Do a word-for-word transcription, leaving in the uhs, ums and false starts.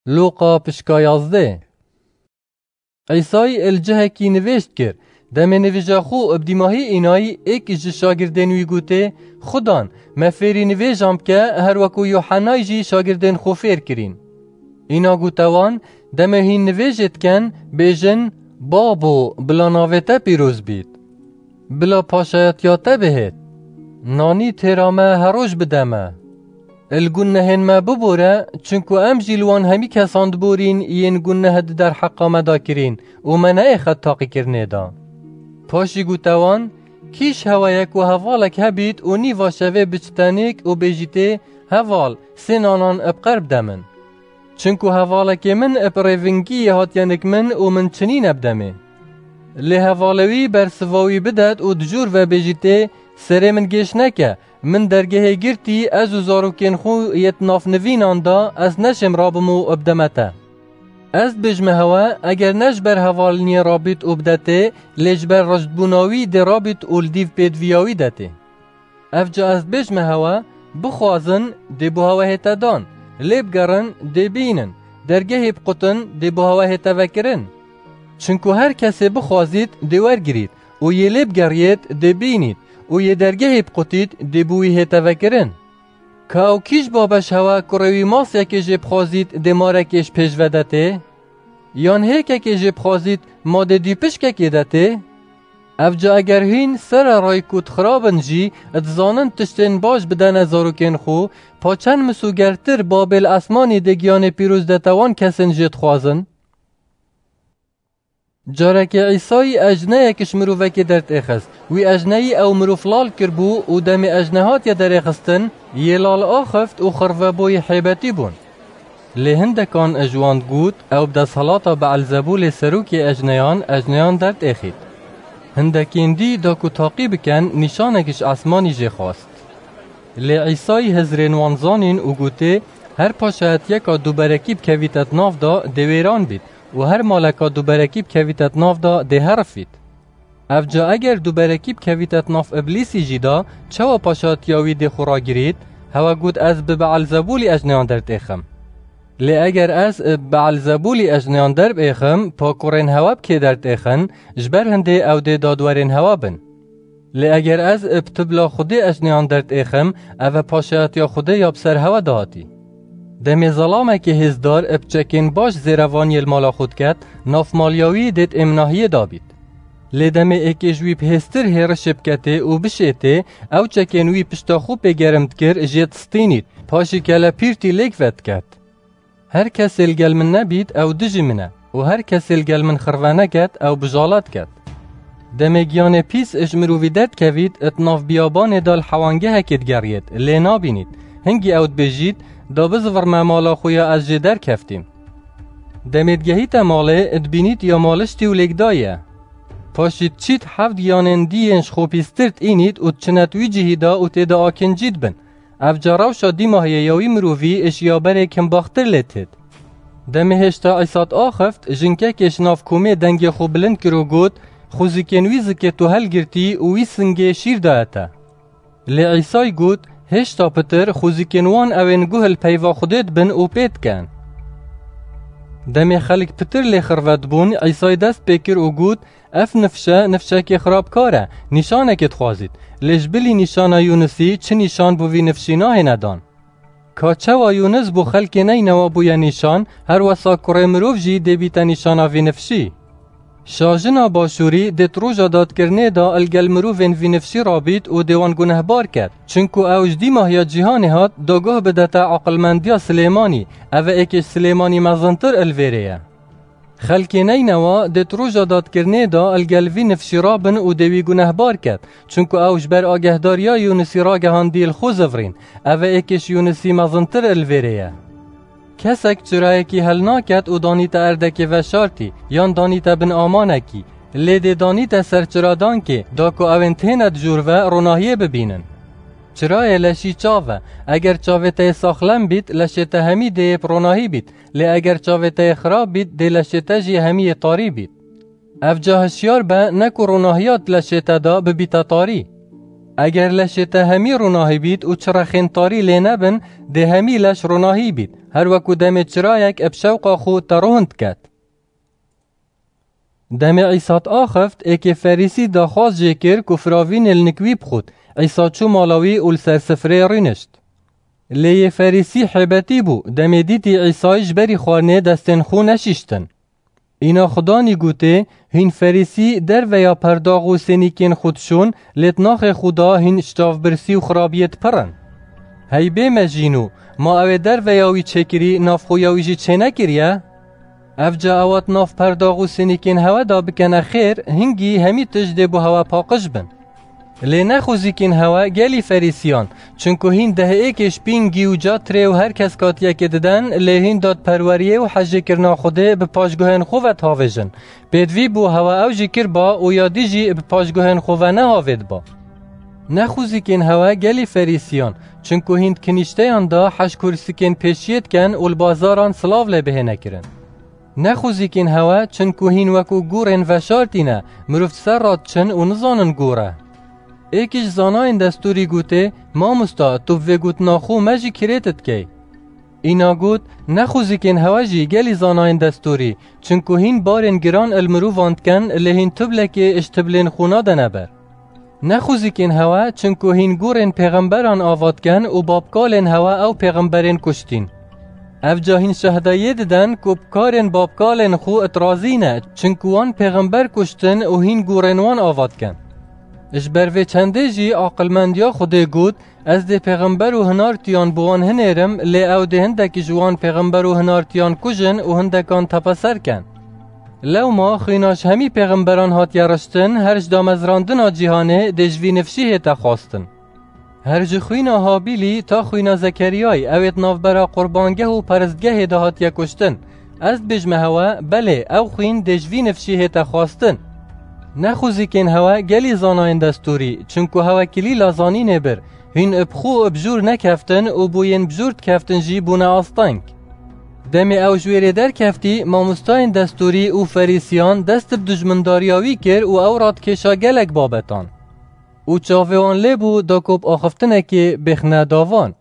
Lûqa pişka yazdeh. Îsayî li cihekî nivêj dikir. Demê nivîja xwe bi dîmahî înayî, êk ji şagirdên wî gotê, Xudan, me fêrî nivêjan bike, her wekû Yuhennayî jî şagirdên xwe fêr kirîn. Îna gote wan, Demê hîn nivêjê dikin, bêjin, Babo, bila navê te pîroz bît. Bila paşayetiya te bihêt. Nanî têra me her roj bide me. Li gunehên me bibore, çunku em jî li wan hemî kesan diborîn yên guneh di derheqa me de kirîn û me neyê xet taqîkirinê de. Paşî gote wan, Kî ji hewe ye ku hevalek hebît û nîva şevê biçite nêk û bêjîtê, Heval, sê nanan bi qer bide min. Çunku hevalekê min bi rêvingiyê hatiye nik min û min çi nîne bi demê. Lê hevalê wî bersiva wî bidet û di jor ve bêjîtê, Serê min gêş neke, min dergehê girtî, ez û zarokên xwe yê di nav nivînan de, ez neşêm rabim û bideme te. Ez dibêjime hewe, eger ne ji ber hevaliniyê rabît û bidetê, lê ji ber rijdbûna wî dê rabît û li dîv pêdiviya wî detê. Ev ca ez dibêjime hewe, bixwazin, dê bo hewe hête dan, lê bigerin, dê bînin, dergehê biqutin, dê bo hewe hête vekirin. Çunku her kesê bixwazît, dê wergirît û yê lê bigeriyêt, dê bînît û yê dergehê biqutît, dê bo wî hête vekirin. Ka ew kî ji babeş hewe kurê wî masiyekê jê bixwazît, dê marekê ji pêş ve detê? Yan hêkekê jê bixwazît, ma dê dî pişkekê detê? Ev ca eger hîn sererayî ku dixirabin jî, dizanin tiştên baş bidene zarokên xwe, pa çend misûgertir Babê li esmanî dê giyanê pîroz dete wan kesên jê dixwazin? Carekê Îsayî ejneyek ji mirovekê derdêxist. Wî ejneyî ew mirov lal kiribû û demê ejne hatiye derêxistin, yê lal axift û xirvebûyî hêbetî bûn. Lê hindekan ji wan digot, Ew bi desthilata Beelzebûlê serokê ejneyan, ejneyan derdêxît. Hindekên dî da ku taqî bikin, nîşanek ji esmanî jê xwest. Lê Îsayî hizrên wan zanîn û gotê, Her paşayetiyeka duberekî bikevîte di nav de, dê wêran bît û her maleka duberekî bikevîte di nav de, dê herifît. Ev ca eger duberekî bikevîte di nav Îblîsî jî de, çawa paşatiya wî dê xwe ragirît? Hewe got, Ez bi Beelzebûlî ejneyan derdêxim. Lê eger ez bi Beelzebûlî ejneyan derbêxim, pa kurên hewe bi kê derdêxin, ji ber hindê ew dê dadwerên hewe bin. Lê eger ez bi tibla Xwedê ejneyan derdêxim, ev e paşayetiya Xwedê ya bi ser hewe de hatî. Demê zelamekê hêzdar bi çekên baş zêrevaniyê li mala xwe diket, nav maliya wî dê di êminahiyê de bît. Lê demê êkê ji wî bi hêztir hêrişê biketê û bişêtê, ew çekên wî pişta xwe pê germ dikir, jê distînît, paşî kelepîrtî lêk vediket. Her kesê li gel min nebît, ew dijî min e û her kesê li gel min xirve neket, ew bijala diket. Demê giyanê pîs ji mirovî derdikevît, di nav biyabanê de li hewangehekê digeriyêt, lê nabînît. Hingî ew dibêjît, Da bizivirme mala xwe ya ez jê derkeftîm. Demê digehîte malê, dibînît ya maliştî û lêkdayî ye. Paşî diçît heft giyanên dî yên ji xwe pîstir diînît û diçinêt wî cihî de û tê de akincî dibin. Ev ca rewşa dîmahiyê ya wî mirovî ji ya berê kimbaxtir lê têt. Demê hêşta Îsa diaxift, jinkekê ji nav komê dengê xwe bilind kir û got, Xwezikên wî zikê tu helgirtî û wî singê şîr daye te. Lê Îsayî got, Hêşta pitir, xwezikên wan ew ên guh li peyva Xwedê dibin û pê dikin. Demê xelk pitir lê xirve dibûn, Îsayî dest pê kir û got, Ev nifş e, nifşekê xirabkar e, nîşanekê dixwazît. Lê ji bilî nîşana Yûnisî çi nîşan bo vî nifşî nahêne dan? Ka çawa Yûnis bo xelkê Neynewa bûye nîşan, her wesa kurê mirov jî dê bîte nîşana vî nifşî. Şajina Başûrî dê di roja dadkirinê de li gel mirovên vî nifşî rabît û dê wan gunehbar ket, çinku ew ji dîmahiya cîhanê hat, da guh bidete aqilmendiya Silêmanî, ev e êkê ji Silêmanî mezintir li vêrê ye. Xelkê Neynewa dê di roja dadkirinê de li gel vî nifşî rabin û dê wî gunehbar ket, çunku ew ji ber agehdariya Yûnisî ragehandî li xwe zivirîn, ev e êkê ji Yûnisî mezintir li vêrê ye. Kesek çirayekî helnaket û danîte erdekê veşartî, yan danîte bin amanekî, lê dê danîte ser çiradankê, da ku ew ên têne di jor ve ronahiyê bibînin. Çirayê leşî çav e, eger çavê te yê saxlem bît, leşê te hemî dê yê bi ronahî bît, lê eger çavê te yê xirab bît, dê leşê te jî hemî yê tarî bît. Ev ca hişyar be, ne ku ronahiya di leşê te de bibîte tarî. Eger leşê te hemî ronahî bît û çirexên tarî lê nebin, dê hemî leş ronahî bît, her weku demê çirayek bi şewqa xwe te rohin diket. Demê Îsa diaxift, êkê Ferîsî daxwaz jê kir ku firavînê li nik wî bixwit. Îsa çû mala wî û li ser sifrê rûnişt. Lê yê Ferîsî hêbetî bû, demê dîtî Îsayî ji berî xwarinê destên xwe neşîştin. Îna Xudanî gotê, hîn Ferîsî derveya perdax û sênîkên xwe dişon, lê di naxê xwe da hîn ji çavbirsî û xirabiyê dipirin. Hey bê mejîno, ma ew ê derveya wî çêkirî, nav xwe ya wî jî çênekiriye? Evca ewa di nav perdax û sênîkên hewe da bikene xêr, hingî hemî tişt dê bo hewe paqij bin. Lê nexwizîkên hewe gelî Ferîsiyan, çinku hîn dehêkê şpîngî û catirê û her kes katiyekê diden, lê hîn dadperweriyê û hejêkirina Xwedê bi paşguhên xwe ve dihavêjin. Pêdivî bû hewe ew jî kirba û ya dî jî bi paşguhên xwe ve nehavêtba. Nexwizîkên hewe gelî Ferîsiyan, çinku hîn di kinîşteyan de heş kursîkên pêşiyê diken û li bazaran silav lê bihêne kirin. Nexwizîkên hewe, çinku hîn weku gûrên veşartî ne, mirov di ser re diçin û nizanin gûr e. Êkî ji zanayên destûrî gotê, Mamosta, tu bi vê gotina xwe me jî kirêt dikey. Îna got, nexwizîkên hewe jî gelî zanayên destûrî, çinku hîn barên giran li mirovan diken, lê hîn tublekê ji tublên xwe nadene ber. Nexwizîkên hewe, çinku hîn gûrên pêxemberan ava dikin û babkalên hewe ew pêxemberên kuştîn. Evca hîn şehdayiyê diden ku bi karên babkalên xwe it razî ne, çinku wan pêxember kuştin û hîn gûrên wan ava dikin. Ji ber vê çendê jî aqilmendiya Xwedê got, ez dê pêxember û hinartiyan bi wan hinêrim, lê ew dê hindekî ji wan pêxember û hinartiyan kujin û hindekan tepeser ken. Lewma xwîna ji hemî pêxemberan hatiye riştin, her ji damezrandina cîhanê dê ji vî nifşî hête xwestin. Her ji xwîna Habîlî ta xwîna Zekeriyayî, ew ê di navbera qurbangeh û peristgehê de hatiye kuştin. Ez dibêjme hewe, belê, ew xwîn dê ji vî nifşî hête xwestin. Nexwizîkên hewe gelî zanayên destûrî, çinku hewe kilîla zanînê bir, hîn bi xwe bi jûr nekeftin û bo yên bi jûr dikeftin jî bûne asteng. Demê ew ji wêrê derkeftî, mamostayên destûrî û ferîsiyan dest bi dijmindariya wî kir û ew radikêşa gelek babetan. Û çavê wan lê bû da ku bi axiftinekê bêxine davan.